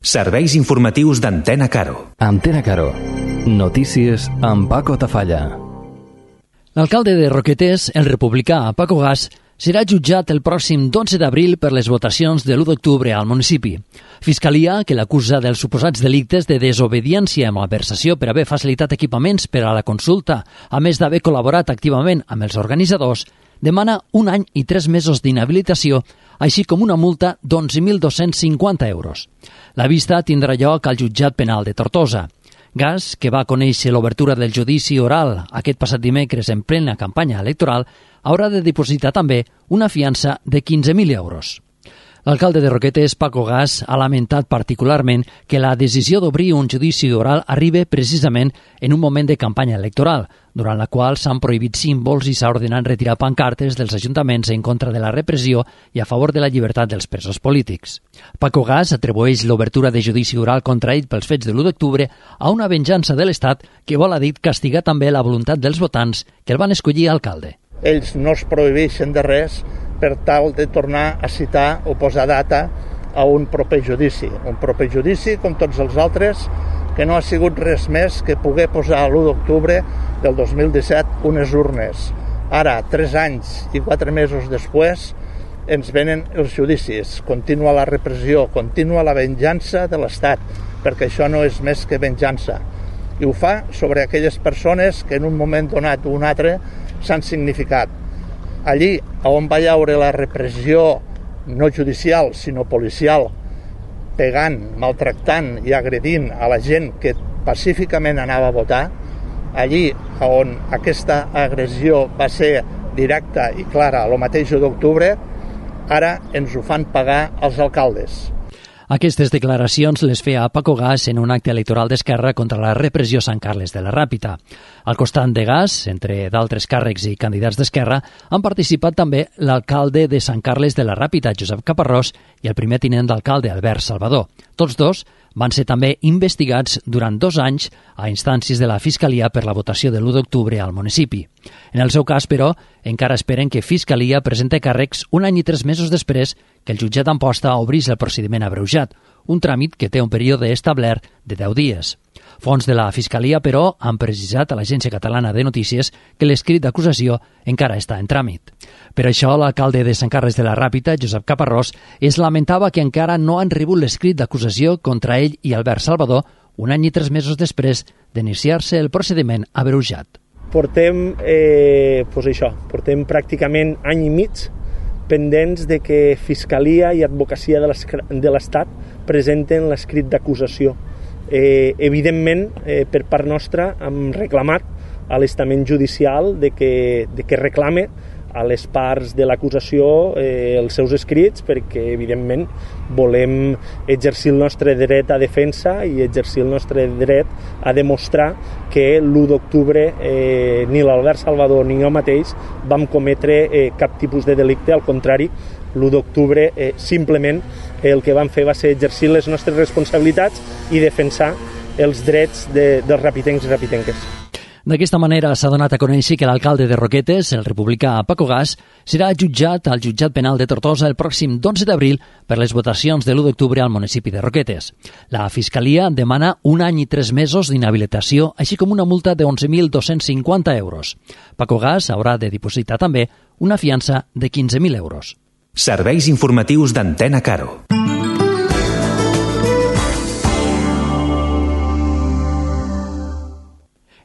Serveis informatius d'Antena Caro. Antena Caro. Notícies amb Paco Tafalla. L'alcalde de Roquetes, el republicà Paco Gas, serà jutjat el pròxim 12 d'abril per les votacions de l'1 d'octubre al municipi. Fiscalia, que l'acusa dels suposats delictes de desobediència amb malversació per haver facilitat equipaments per a la consulta, a més d'haver col·laborat activament amb els organitzadors, demana 1 any i 3 mesos d'inhabilitació, així com una multa d'11.250 euros. La vista tindrà lloc al jutjat penal de Tortosa. Gas, que va conèixer l'obertura del judici oral aquest passat dimecres en plena campanya electoral, haurà de dipositar també una fiança de 15.000 euros. L'alcalde de Roquetes, Paco Gas, ha lamentat particularment que la decisió d'obrir un judici oral arribi precisament en un moment de campanya electoral, durant la qual s'han prohibit símbols i s'ha ordenat retirar pancartes dels ajuntaments en contra de la repressió i a favor de la llibertat dels presos polítics. Paco Gas atribueix l'obertura de judici oral contra ell pels fets de l'1 d'octubre a una venjança de l'Estat que vol, ha dit, castigar també la voluntat dels votants que el van escollir alcalde. Ells no es prohibeixen de res per tal de tornar a citar o posar data a un proper judici. Un proper judici, com tots els altres, que no ha sigut res més que poder posar l'1 d'octubre del 2017 unes urnes. Ara, 3 anys i 4 mesos després, ens venen els judicis. Continua la repressió, continua la venjança de l'Estat, perquè això no és més que venjança. I ho fa sobre aquelles persones que en un moment donat o un altre s'han significat. Allí on va haure la repressió no judicial, sinó policial, pegant, maltractant i agredint a la gent que pacíficament anava a votar, allí on aquesta agressió va ser directa i clara el mateix 1 d'octubre, ara ens ho fan pagar els alcaldes. Aquestes declaracions les feia Paco Gas en un acte electoral d'Esquerra contra la repressió a Sant Carles de la Ràpita. Al costat de Gas, entre d'altres càrrecs i candidats d'Esquerra, han participat també l'alcalde de Sant Carles de la Ràpita, Josep Caparrós, i el primer tinent d'alcalde, Albert Salvador. Tots dos van ser també investigats durant 2 anys a instàncies de la Fiscalia per la votació de l'1 d'octubre al municipi. En el seu cas, però, encara esperen que Fiscalia presente càrrecs 1 any i 3 mesos després que el jutjat d'Amposta obrís el procediment abreujat, un tràmit que té un període establert de 10 dies. Fons de la Fiscalia, però, han precisat a l'Agència Catalana de Notícies que l'escrit d'acusació encara està en tràmit. Per això, l'alcalde de Sant Carles de la Ràpita, Josep Caparrós, es lamentava que encara no han rebut l'escrit d'acusació contra ell i Albert Salvador 1 any i 3 mesos després d'iniciar-se el procediment abreujat. Portem pràcticament any i mig pendents de que Fiscalia i Advocacia de l'Estat presenten l'escrit d'acusació. Evidentment, per part nostra, hem reclamat a l'estament judicial de que reclame a les parts de l'acusació els seus escrits, perquè evidentment volem exercir el nostre dret a defensa i exercir el nostre dret a demostrar que l'1 d'octubre ni l'Albert Salvador ni jo mateix vam cometre cap tipus de delicte. Al contrari, l'1 d'octubre simplement el que vam fer va ser exercir les nostres responsabilitats i defensar els drets dels rapitencs i rapitenques. D'aquesta manera s'ha donat a conèixer que l'alcalde de Roquetes, el republicà Paco Gas, serà jutjat al jutjat penal de Tortosa el pròxim 12 d'abril per les votacions de l'1 d'octubre al municipi de Roquetes. La Fiscalia demana 1 any i 3 mesos d'inhabilitació, així com una multa de 11.250 euros. Paco Gas haurà de dipositar també una fiança de 15.000 euros. Serveis informatius d'Antena Caro.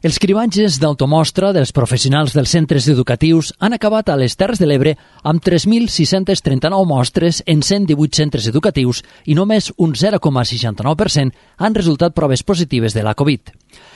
Els cribatges d'automostra dels professionals dels centres educatius han acabat a les Terres de l'Ebre amb 3.639 mostres en 118 centres educatius i només un 0,69% han resultat proves positives de la Covid.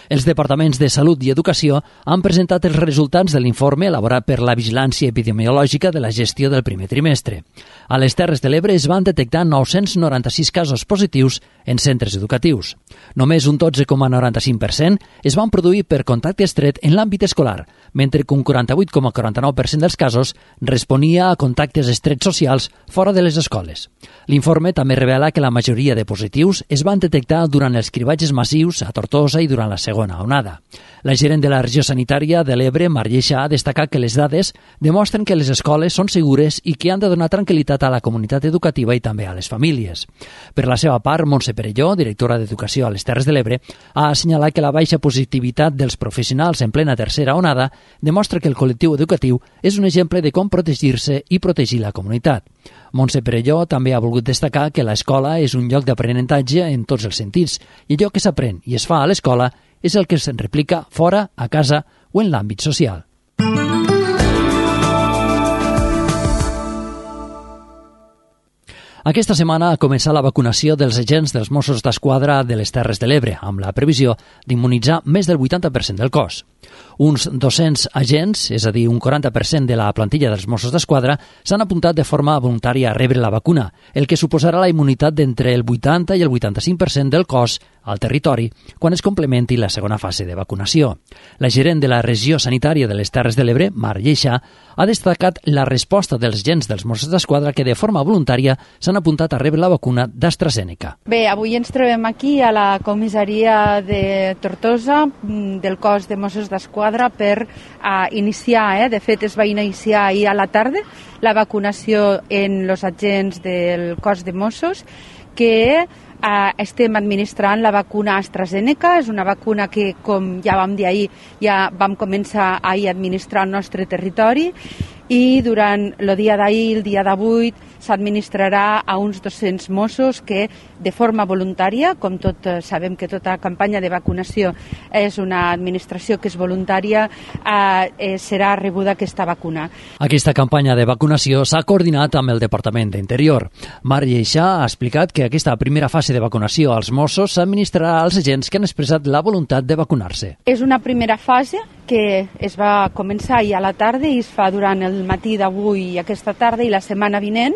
Els departaments de Salut i Educació han presentat els resultats de l'informe elaborat per la Vigilància Epidemiològica de la gestió del primer trimestre. A les Terres de l'Ebre es van detectar 996 casos positius en centres educatius. Només un 12,95% es van produir per per contacte estret en l'àmbit escolar, mentre que un 48,49% dels casos responia a contactes estrets socials fora de les escoles. L'informe també revela que la majoria de positius es van detectar durant els cribatges massius a Tortosa i durant la segona onada. La gerent de la regió sanitària de l'Ebre, Mar Lleixa, ha destacat que les dades demostren que les escoles són segures i que han de donar tranquil·litat a la comunitat educativa i també a les famílies. Per la seva part, Montse Perelló, directora d'Educació a les Terres de l'Ebre, ha assenyalat que la baixa positivitat dels professionals en plena tercera onada demostra que el col·lectiu educatiu és un exemple de com protegir-se i protegir la comunitat. Montse Perelló també ha volgut destacar que l'escola és un lloc d'aprenentatge en tots els sentits i allò que s'aprèn i es fa a l'escola és el que se'n replica fora, a casa o en l'àmbit social. Aquesta setmana ha començat la vacunació dels agents dels Mossos d'Esquadra de les Terres de l'Ebre, amb la previsió d'immunitzar més del 80% del cos. Uns 200 agents, és a dir, un 40% de la plantilla dels Mossos d'Esquadra, s'han apuntat de forma voluntària a rebre la vacuna, el que suposarà la immunitat d'entre el 80 i el 85% del cos al territori quan es complementi la segona fase de vacunació. La gerent de la regió sanitària de les Terres de l'Ebre, Mar Lleixa, ha destacat la resposta dels agents dels Mossos d'Esquadra que de forma voluntària s'han apuntat a rebre la vacuna d'AstraZeneca. Bé, avui ens trobem aquí a la comissaria de Tortosa del cos de Mossos d'Esquadra per iniciar, de fet es va iniciar ahir a la tarda, la vacunació en els agents del cos de Mossos, que estem administrant la vacuna AstraZeneca. És una vacuna que, com ja vam dir ahir, ja vam començar ahir a administrar al nostre territori i durant el dia d'ahir i el dia d'avui s'administrarà a uns 200 Mossos que de forma voluntària, com tot sabem que tota campanya de vacunació és una administració que és voluntària, serà rebuda aquesta vacuna. Aquesta campanya de vacunació s'ha coordinat amb el Departament d'Interior. Mar Lleixa ha explicat que aquesta primera fase de vacunació als Mossos s'administrarà als agents que han expressat la voluntat de vacunar-se. És una primera fase que es va començar ahir a la tarda i es fa durant el matí d'avui i aquesta tarda, i la setmana vinent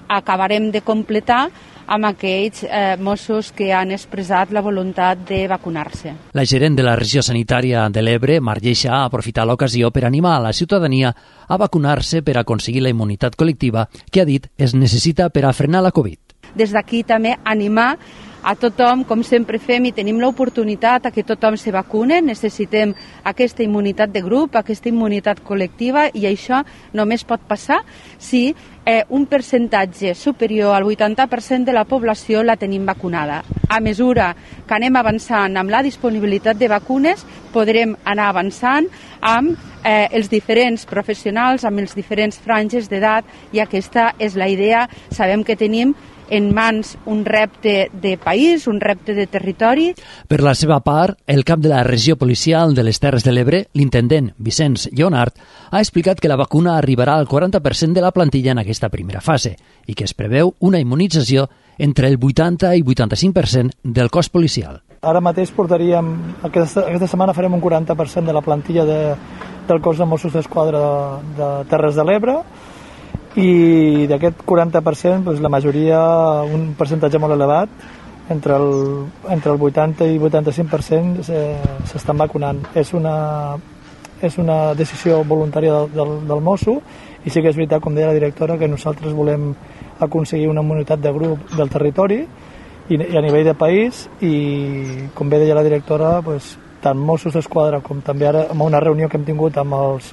acabarem de completar amb aquells Mossos que han expressat la voluntat de vacunar-se. La gerent de la regió sanitària de l'Ebre, Mar Lleixa, ha aprofitat l'ocasió per animar a la ciutadania a vacunar-se per aconseguir la immunitat col·lectiva que, ha dit, es necessita per a frenar la Covid. Des d'aquí també animar a tothom, com sempre fem, i tenim l'oportunitat a que tothom se vacune. Necessitem aquesta immunitat de grup, aquesta immunitat col·lectiva, i això només pot passar si un percentatge superior al 80% de la població la tenim vacunada. A mesura que anem avançant amb la disponibilitat de vacunes, podrem anar avançant amb els diferents professionals, amb els diferents franges d'edat, i aquesta és la idea. Sabem que tenim en mans un repte de país, un repte de territori. Per la seva part, el cap de la regió policial de les Terres de l'Ebre, l'intendent Vicenç Lleonart, ha explicat que la vacuna arribarà al 40% de la plantilla en aquesta primera fase i que es preveu una immunització entre el 80 i 85% del cos policial. Ara mateix portaríem, aquesta setmana farem un 40% de la plantilla del cos de Mossos d'Esquadra de Terres de l'Ebre, i d'aquest 40%, doncs, la majoria, un percentatge molt elevat, entre el 80 i 85% s'estan vacunant. És una decisió voluntària del Mosso, i sí que és veritat, com deia la directora, que nosaltres volem aconseguir una immunitat de grup del territori i a nivell de país, i com bé deia la directora, doncs, tant Mossos d'Esquadra com també ara amb una reunió que hem tingut amb els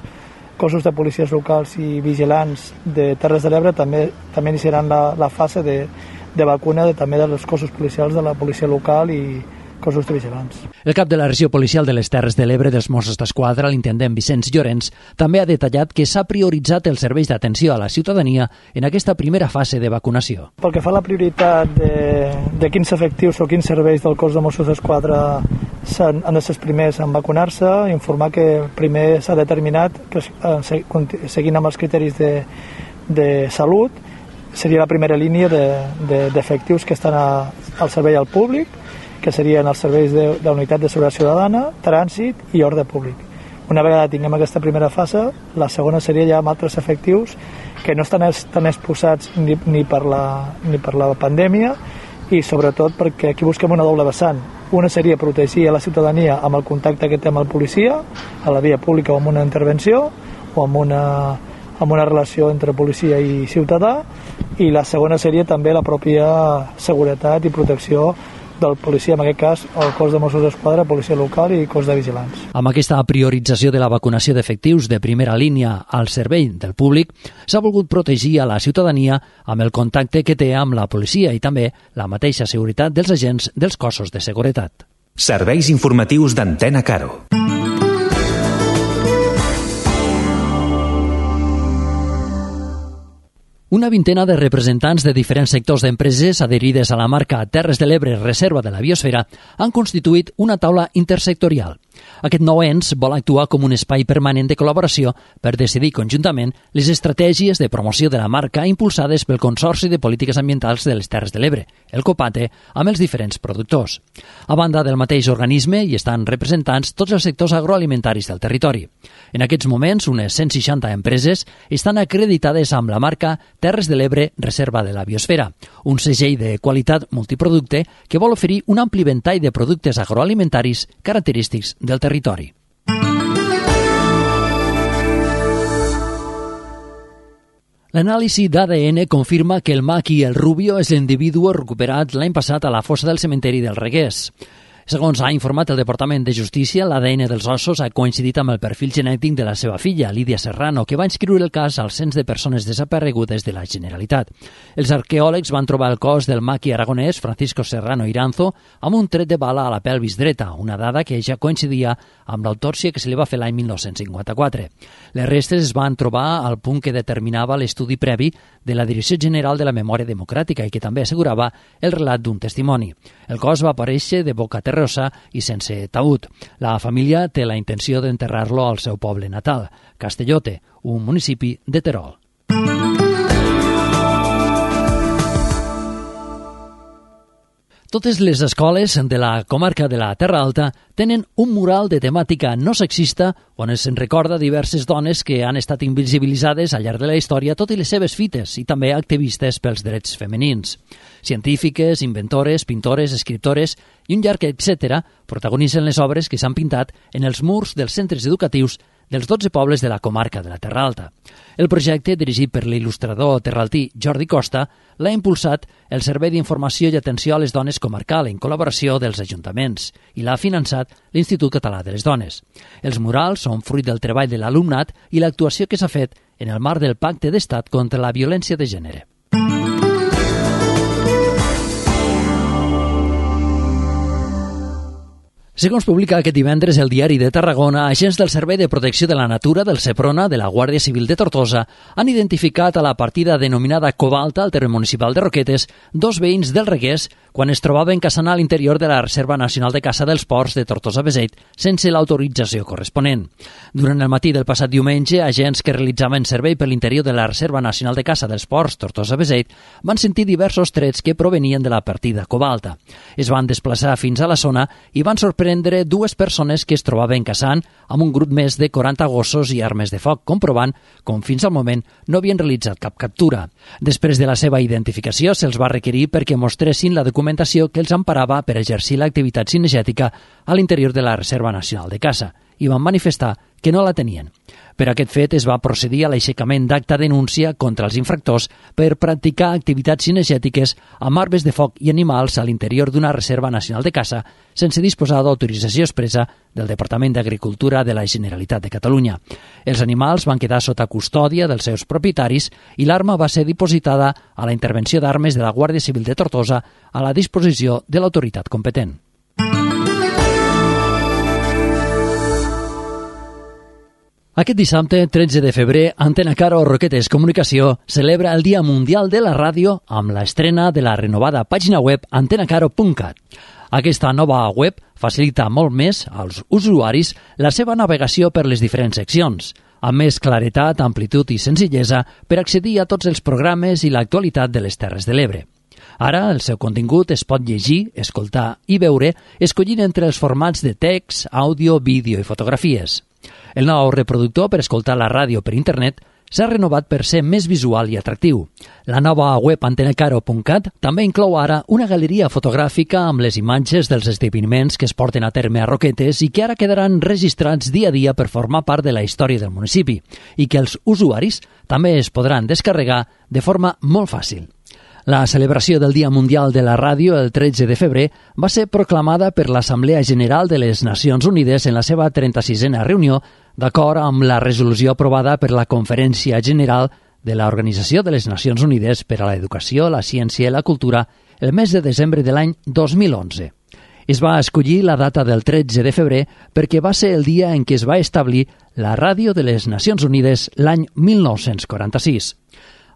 cossos de policies locals i vigilants de Terres de l'Ebre, també iniciaran la fase de vacuna també dels cossos policials de la policia local i cossos de vigilants. El cap de la regió policial de les Terres de l'Ebre dels Mossos d'Esquadra, l'intendent Vicenç Llorenç, també ha detallat que s'ha prioritzat els serveis d'atenció a la ciutadania en aquesta primera fase de vacunació. Pel que fa a la prioritat de quins efectius o quins serveis del cos de Mossos d'Esquadra han de ser els primers en vacunar-se, informar que primer s'ha determinat que seguint amb els criteris de salut seria la primera línia d'efectius que estan al servei al públic, que serien els serveis de la Unitat de Seguretat Ciutadana, Trànsit i Ordre Públic. Una vegada tinguem aquesta primera fase, la segona seria ja amb altres efectius que no estan tan exposats ni per la pandèmia i sobretot perquè aquí busquem una doble vessant. Una seria protegir a la ciutadania amb el contacte que té amb el policia, a la via pública o amb una intervenció, o amb una relació entre policia i ciutadà, i la segona seria també la pròpia seguretat i protecció del policia, en aquest cas el cos de Mossos d'Esquadra, policia local i cos de vigilants. Amb aquesta priorització de la vacunació d'efectius de primera línia al servei del públic, s'ha volgut protegir a la ciutadania amb el contacte que té amb la policia i també la mateixa seguretat dels agents dels cossos de seguretat. Serveis informatius d'Antena Caro. Una vintena de representants de diferents sectors d'empreses adherides a la marca Terres de l'Ebre Reserva de la Biosfera han constituït una taula intersectorial. Aquest nou ens vol actuar com un espai permanent de col·laboració per decidir conjuntament les estratègies de promoció de la marca impulsades pel Consorci de Polítiques Ambientals de les Terres de l'Ebre, el COPATE, amb els diferents productors. A banda del mateix organisme hi estan representants tots els sectors agroalimentaris del territori. En aquests moments, unes 160 empreses estan acreditades amb la marca Terres de l'Ebre Reserva de la Biosfera, un segell de qualitat multiproducte que vol oferir un ampli ventall de productes agroalimentaris característics del territori. L'anàlisi d'ADN confirma que el maqui el rubio és l'individu recuperat l'any passat a la fossa del cementeri del Reguers. Segons ha informat el Departament de Justícia, l'ADN dels ossos ha coincidit amb el perfil genètic de la seva filla, Lídia Serrano, que va inscriure el cas al cens de persones desaparegudes de la Generalitat. Els arqueòlegs van trobar el cos del maqui aragonès Francisco Serrano Iranzo amb un tret de bala a la pelvis dreta, una dada que ja coincidia amb l'autòpsia que se li va fer l'any 1954. Les restes es van trobar al punt que determinava l'estudi previ de la Direcció General de la Memòria Democràtica i que també assegurava el relat d'un testimoni. El cos va aparèixer de boca terrosa i sense taüt. La família té la intenció d'enterrar-lo al seu poble natal, Castellote, un municipi de Terol. Totes les escoles de la comarca de la Terra Alta tenen un mural de temàtica no sexista on es recorda diverses dones que han estat invisibilitzades al llarg de la història, tot i les seves fites, i també activistes pels drets femenins. Científiques, inventores, pintores, escriptores i un llarg etcètera protagonitzen les obres que s'han pintat en els murs dels centres educatius dels 12 pobles de la comarca de la Terra Alta. El projecte, dirigit per l'il·lustrador terraltí Jordi Costa, l'ha impulsat el Servei d'Informació i Atenció a les Dones Comarcal en col·laboració dels ajuntaments i l'ha finançat l'Institut Català de les Dones. Els murals són fruit del treball de l'alumnat i l'actuació que s'ha fet en el marc del Pacte d'Estat contra la Violència de Gènere. Segons publica aquest divendres el Diari de Tarragona, agents del Servei de Protecció de la Natura del Seprona de la Guàrdia Civil de Tortosa han identificat a la partida denominada Cobalta, al terme municipal de Roquetes, 2 veïns del Reguers quan es trobaven caçant a l'interior de la Reserva Nacional de Caça dels Ports de Tortosa-Beseit sense l'autorització corresponent. Durant el matí del passat diumenge, agents que realitzaven servei per l'interior de la Reserva Nacional de Caça dels Ports Tortosa-Beseit van sentir diversos trets que provenien de la partida Cobalta. Es van desplaçar fins a la zona i van sorprendre 2 persones que es trobaven caçant amb un grup més de 40 gossos i armes de foc, comprovant com fins al moment no havien realitzat cap captura. Després de la seva identificació, se'ls va requerir perquè mostressin la documentació que els emparava per exercir l'activitat cinegètica a l'interior de la Reserva Nacional de Caça i van manifestar que no la tenien. Per aquest fet es va procedir a l'aixecament d'acta denúncia contra els infractors per practicar activitats cinegètiques amb armes de foc i animals a l'interior d'una reserva nacional de caça sense disposar d'autorització expressa del Departament d'Agricultura de la Generalitat de Catalunya. Els animals van quedar sota custòdia dels seus propietaris i l'arma va ser dipositada a la intervenció d'armes de la Guàrdia Civil de Tortosa a la disposició de l'autoritat competent. Aquest dissabte, 13 de febrer, Antena Caro Roquetes Comunicació celebra el Dia Mundial de la Ràdio amb l'estrena de la renovada pàgina web antenacaro.cat. Aquesta nova web facilita molt més als usuaris la seva navegació per les diferents seccions, amb més claretat, amplitud i senzillesa per accedir a tots els programes i l'actualitat de les Terres de l'Ebre. Ara, el seu contingut es pot llegir, escoltar i veure escollint entre els formats de text, àudio, vídeo i fotografies. El nou reproductor per escoltar la ràdio per internet s'ha renovat per ser més visual i atractiu. La nova web antenacaro.cat també inclou ara una galeria fotogràfica amb les imatges dels esdeveniments que es porten a terme a Roquetes i que ara quedaran registrats dia a dia per formar part de la història del municipi i que els usuaris també es podran descarregar de forma molt fàcil. La celebració del Dia Mundial de la Ràdio el 13 de febrer va ser proclamada per l'Assemblea General de les Nacions Unides en la seva 36a reunió, d'acord amb la resolució aprovada per la Conferència General de l'Organització de les Nacions Unides per a l'Educació, la Ciència i la Cultura el mes de desembre de l'any 2011. Es va escollir la data del 13 de febrer perquè va ser el dia en què es va establir la Ràdio de les Nacions Unides l'any 1946.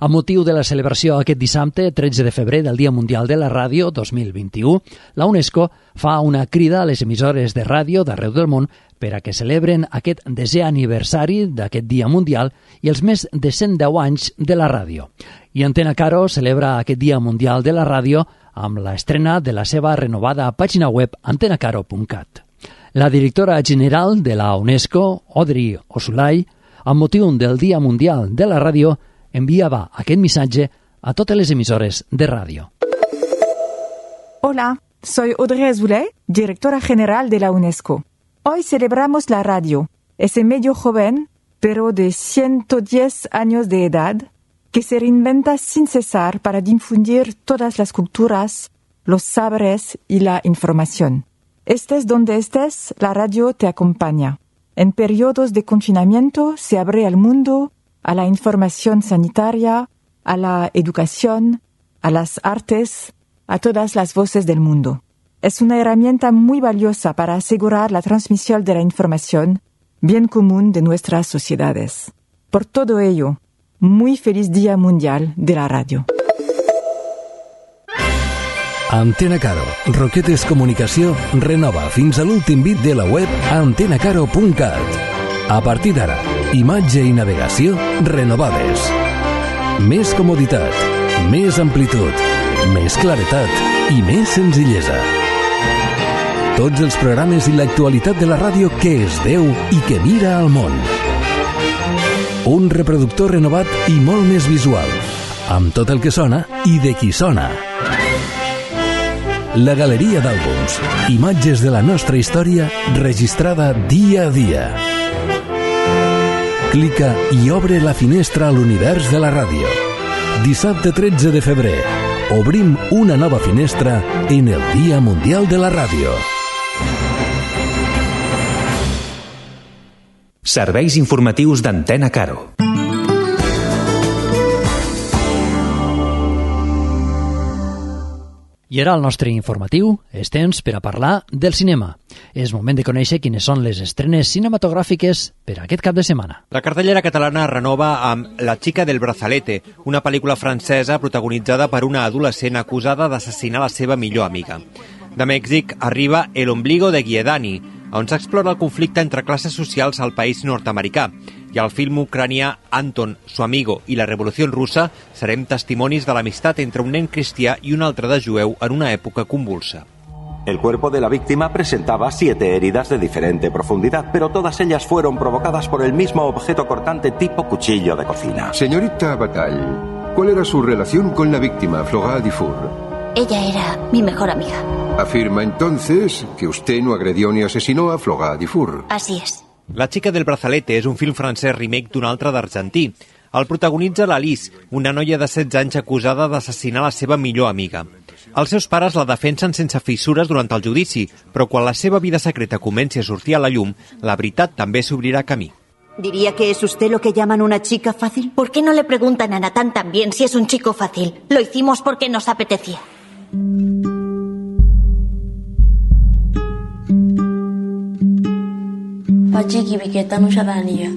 Amb motiu de la celebració aquest dissabte, 13 de febrer del Dia Mundial de la Ràdio 2021, la UNESCO fa una crida a les emissores de ràdio d'arreu del món per a que celebren aquest 10è aniversari d'aquest Dia Mundial i els més de 110 anys de la ràdio. I Antena Caro celebra aquest Dia Mundial de la Ràdio amb l'estrena de la seva renovada pàgina web antenacaro.cat. La directora general de la UNESCO, Audrey Osulay, amb motiu del Dia Mundial de la Ràdio, enviaba aquest missatge a totes les emisores de radio. Hola, soy Audrey Azoulay, directora general de la UNESCO. Hoy celebramos la radio, ese medio joven, pero de 110 años de edad, que se reinventa sin cesar para difundir todas las culturas, los saberes y la información. Estés donde estés, la radio te acompaña. En periodos de confinamiento se abre al mundo, a la información sanitaria, a la educación, a las artes, a todas las voces del mundo. Es una herramienta muy valiosa para asegurar la transmisión de la información, bien común de nuestras sociedades. Por todo ello, muy feliz Día Mundial de la Radio. Antena Caro, Roquetes Comunicació renova fins a l'últim bit de la web antenacaro.cat. A partir d'ara, imatge i navegació renovades. Més comoditat, més amplitud, més claretat i més senzillesa. Tots els programes i l'actualitat de la ràdio que es veu i que mira al món. Un reproductor renovat i molt més visual, amb tot el que sona i de qui sona. La galeria d'àlbums, imatges de la nostra història registrada dia a dia. Clica i obre la finestra a l'univers de la ràdio. Dissabte 13 de febrer, obrim una nova finestra en el Dia Mundial de la Ràdio. Serveis informatius d'Antena Caro. I ara el nostre informatiu és temps per a parlar del cinema. És moment de conèixer quines són les estrenes cinematogràfiques per a aquest cap de setmana. La cartellera catalana renova amb La chica del brazalete, una pel·lícula francesa protagonitzada per una adolescent acusada d'assassinar la seva millor amiga. De Mèxic arriba El ombligo de Guiedani, on s'explora el conflicte entre classes socials al país nord-americà, i al film ucranià Anton, su amigo i la revolució russa serem testimonis de l'amistat entre un nen cristià i un altre de jueu en una època convulsa. El cuerpo de la víctima presentaba 7 heridas de diferente profundidad, pero todas ellas fueron provocadas por el mismo objeto cortante tipo cuchillo de cocina. Señorita Bataille, ¿cuál era su relación con la víctima, Flora Dufour? Ella era mi mejor amiga. Afirma entonces que usted no agredió ni asesinó a Flora Dufour. Así es. La chica del brazalete és un film francès remake d'un altre d'argentí. El protagonitza l'Alice, una noia de 16 anys acusada d'assassinar la seva millor amiga. Els seus pares la defensen sense fissures durant el judici, però quan la seva vida secreta comenci a sortir a la llum, la veritat també s'obrirà camí. ¿Diría que es usted lo que llaman una chica fácil? ¿Por qué no le preguntan a Natán también si es un chico fácil? Lo hicimos porque nos apetecía. Pachiki biketa no xaranilla.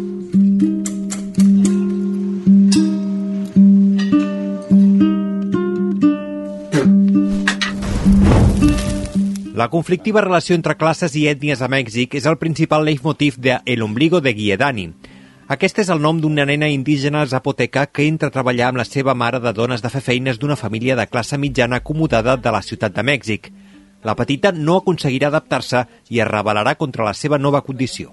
La conflictiva relació entre classes i ètnies a Mèxic és el principal leitmotiv de El ombligo de Guiedani. Aquest és el nom d'una nena indígena zapoteca que entra a treballar amb la seva mare de dones de fer feines d'una família de classe mitjana acomodada de la ciutat de Mèxic. La petita no aconseguirà adaptar-se i es rebel·larà contra la seva nova condició.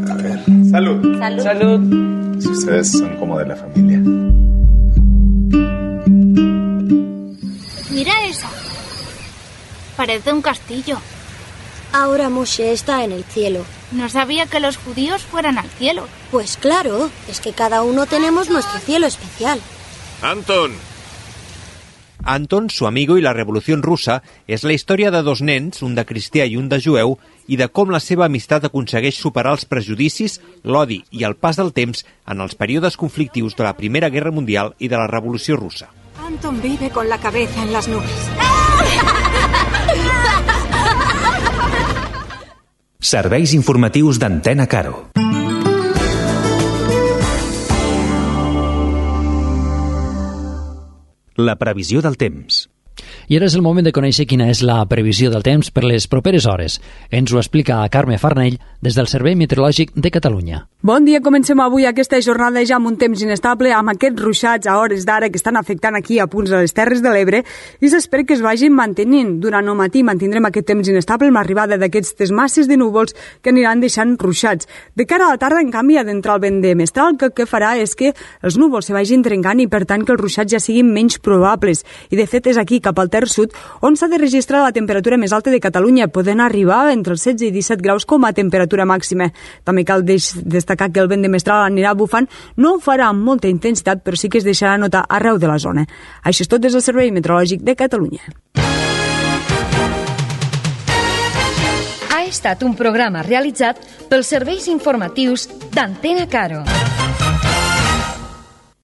A ver... Salud. Salud. Salud. Si ustedes son como de la familia. Mira esa. Parece un castillo. Ahora Moshe está en el cielo. No sabía que los judíos fueran al cielo. Pues claro, es que cada uno tenemos nuestro cielo especial. Anton, Su amigo i la Revolució Russa és la història de dos nens, un de cristià i un de jueu, i de com la seva amistat aconsegueix superar els prejudicis, l'odi i el pas del temps en els períodes conflictius de la Primera Guerra Mundial i de la Revolució Russa. Anton vive con la cabeza en las nubes. Serveis informatius d'Antena Caro. La previsió del temps. I ara és el moment de conèixer quina és la previsió del temps per les properes hores. Ens ho explica Carme Farnell des del Servei Meteorològic de Catalunya. Bon dia, comencem avui aquesta jornada ja amb un temps inestable, amb aquests ruixats a hores d'ara que estan afectant aquí a punts de les Terres de l'Ebre, i s'espera que es vagin mantenint. Durant el matí mantindrem aquest temps inestable amb l'arribada d'aquestes masses de núvols que aniran deixant ruixats. De cara a la tarda, en canvi, ha d'entrar el vent de mestral, que el que farà és que els núvols se vagin trencant i, per tant, que els ruixats ja siguin menys probables. I, de fet, és aquí, cap al Ter Sud, on s'ha de registrar la temperatura més alta de Catalunya, podent arribar entre els 16 i 17 graus com a temperatura màxima. També cal destacar que el vent de mestral anirà bufant, no ho farà amb molta intensitat, però sí que es deixarà notar arreu de la zona. Això és tot des del Servei Meteorològic de Catalunya. Ha estat un programa realitzat pels serveis informatius d'Antena Caro.